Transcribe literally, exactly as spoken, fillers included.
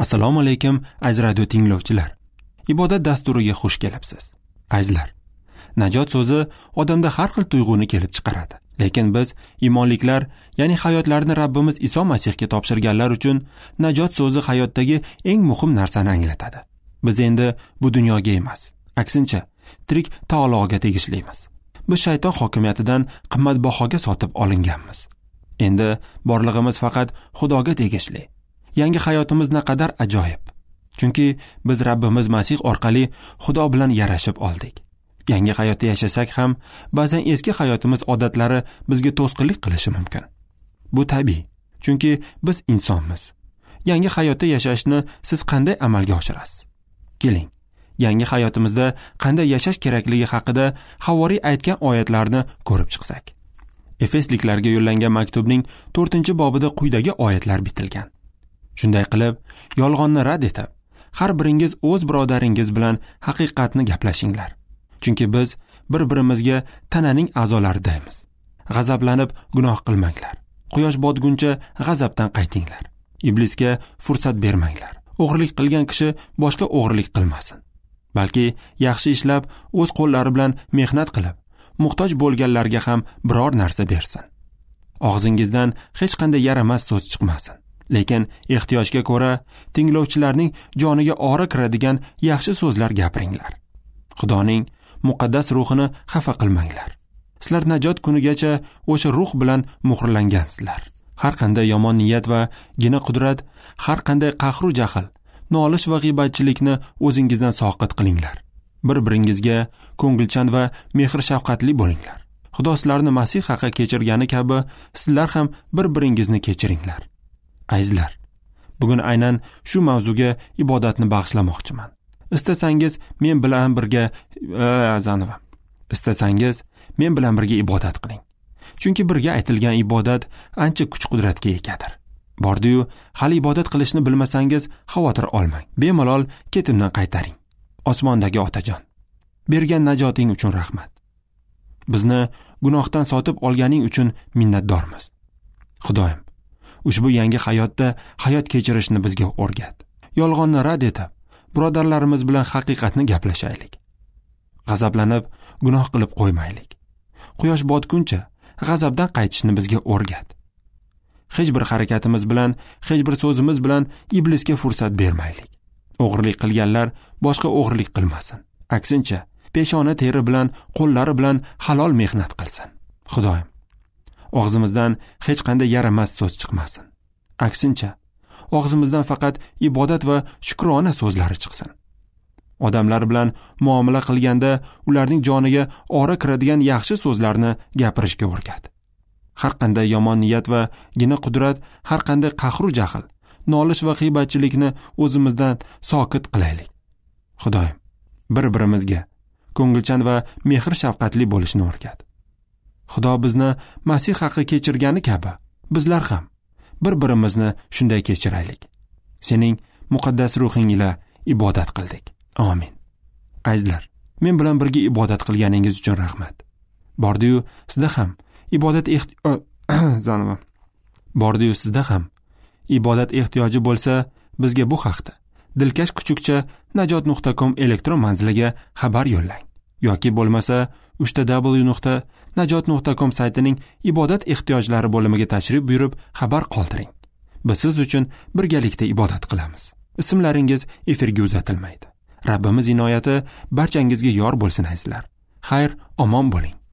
Assalomu alaykum aziz radio tinglovchilar. Ibodat dasturiga xush kelibsiz. Azizlar, najot so'zi odamda har xil tuyg'uni kelib chiqaradi. Lekin biz iymonliklar, ya'ni hayotlarini Rabbimiz Iso Masihga topshirganlar uchun najot so'zi hayotdagi eng muhim narsani anglatadi. Biz endi bu dunyoga emas, aksincha tirik taologa tegishlimiz. Biz shayton hokimiyatidan qimmatbahoga sotib olinganmiz. Endi borlig'imiz faqat Xudoga tegishli. Yangi hayotimiz naqadar ajoyib. Chunki biz Rabbimiz Masih orqali Xudo bilan yarashib oldik. Yangi hayotda yashasak ham, ba'zan eski hayotimiz odatlari bizga to'sqinlik qilishi mumkin. Bu tabiiy, chunki biz insonmiz. Yangi hayotda yashashni siz qanday amalga oshirasiz? Keling, yangi hayotimizda qanday yashash kerakligi haqida havoriy aytgan oyatlarni ko'rib chiqsak. Efesliklarga yo'llangan maktubning to'rtinchi bobida quyidagi oyatlar bitilgan. Shunday qilib, yolg'onni rad etib, har biringiz o'z birodaringiz bilan haqiqatni gaplashinglar. Chunki biz bir-birimizga tananing a'zolaridaymiz. G'azablanib gunoh qilmanglar. Quyosh botguncha g'azabdan qaytinglar. Iblisga fursat bermanglar. O'g'irlik qilgan kishi boshqa o'g'irlik qilmasin. Balki yaxshi ishlab, o'z qo'llari bilan mehnat qilib, muhtoj bo'lganlarga ham biror narsa bersin. Og'zingizdan hech qanday yaramas so'z chiqmasin. Lekin ehtiyojga ko'ra tinglovchilarning joniga ora kiradigan yaxshi so'zlar gapiringlar. Xudoning muqaddas ruhini xafa qilmanglar. Sizlar najot kunigacha o'sha ruh bilan muhrlangansizlar. Har qanday yomon niyat va gina qudrat, har qanday qahru jahl, nolish va g'iybatchilikni o'zingizdan soqit qilinglar. Bir-biringizga ko'ngilchan va mehr-shafqatli bo'linglar. Xudo sizlarni Masih haqi kechirgani kabi sizlar ham bir-biringizni kechiringlar. Azizlar, bugun aynan shu mavzuga ibodatni bag'ishlamoqchiman. Istasangiz men bilan birga azanova. Istasangiz men bilan birga ibodat qiling. Chunki birga aytilgan ibodat ancha kuch-qudratga egadir. Bordi-yu, hali ibodat qilishni bilmasangiz xavotir olmang. Bemalol ketimdan qaytaring. Osmondagi Otajon, bergan najoting uchun rahmat. Bizni gunohdan sotib olganing uchun minnatdormiz. Xudoyim, ushbu yangi hayotda hayot kechirishni bizga o'rgat. Yolg'onni rad etib, birodarlarimiz bilan haqiqatni gaplashaylik. G'azablanib gunoh qilib qo'ymaylik. Quyosh botguncha g'azabdan qaytishni bizga o'rgat. Hech bir harakatimiz bilan, hech bir so'zimiz bilan iblisga fursat bermaylik. O'g'irlik qilganlar boshqa o'g'irlik qilmasin. Aksincha, peshona teri bilan, qo'llari bilan halol mehnat qilsin. Xudoyim, og'zimizdan hech qanday yaramas so'z chiqmasin. Aksincha, og'zimizdan faqat ibodat va shukrona so'zlari chiqsin. Odamlar bilan muomala qilganda ularning joniga ora kiradigan yaxshi so'zlarni gapirishga o'rgat. Har qanday yomon niyat va gina qudrat, har qanday qahru jahl, nolish va g'iybatchilikni o'zimizdan sokit qilaylik. Xudoyim, bir-birimizga ko'ngilchan va mehr-shafqatli bo'lishni o'rgat. Xudo bizni Masih haqi kechirgani kabi, bizlar ham bir-birimizni shunday kechiraylik. Sening muqaddas ruhing ila ibodat qildik. Amin. Azizlar, men bilan birga ibodat qilganingiz uchun rahmat. Bordi-yu sizda ham ibodat ehti- Bordi-yu sizda ham ibodat ehtiyoji bo'lsa, bizga bu haqda dilkash kuchukcha najot nuqta com elektron manziliga xabar yo'llang yoki bo'lmasa uchta w nuqta najot nuqta com saytining ibodat ehtiyojlari bo'limiga tashrif buyurib xabar qoldiring. Biz siz uchun birgalikda ibodat qilamiz. Ismlaringiz efirga uzatilmaydi. Rabbimiz inoyati barchangizga yor bo'lsin azizlar. Xayr, omon bo'ling.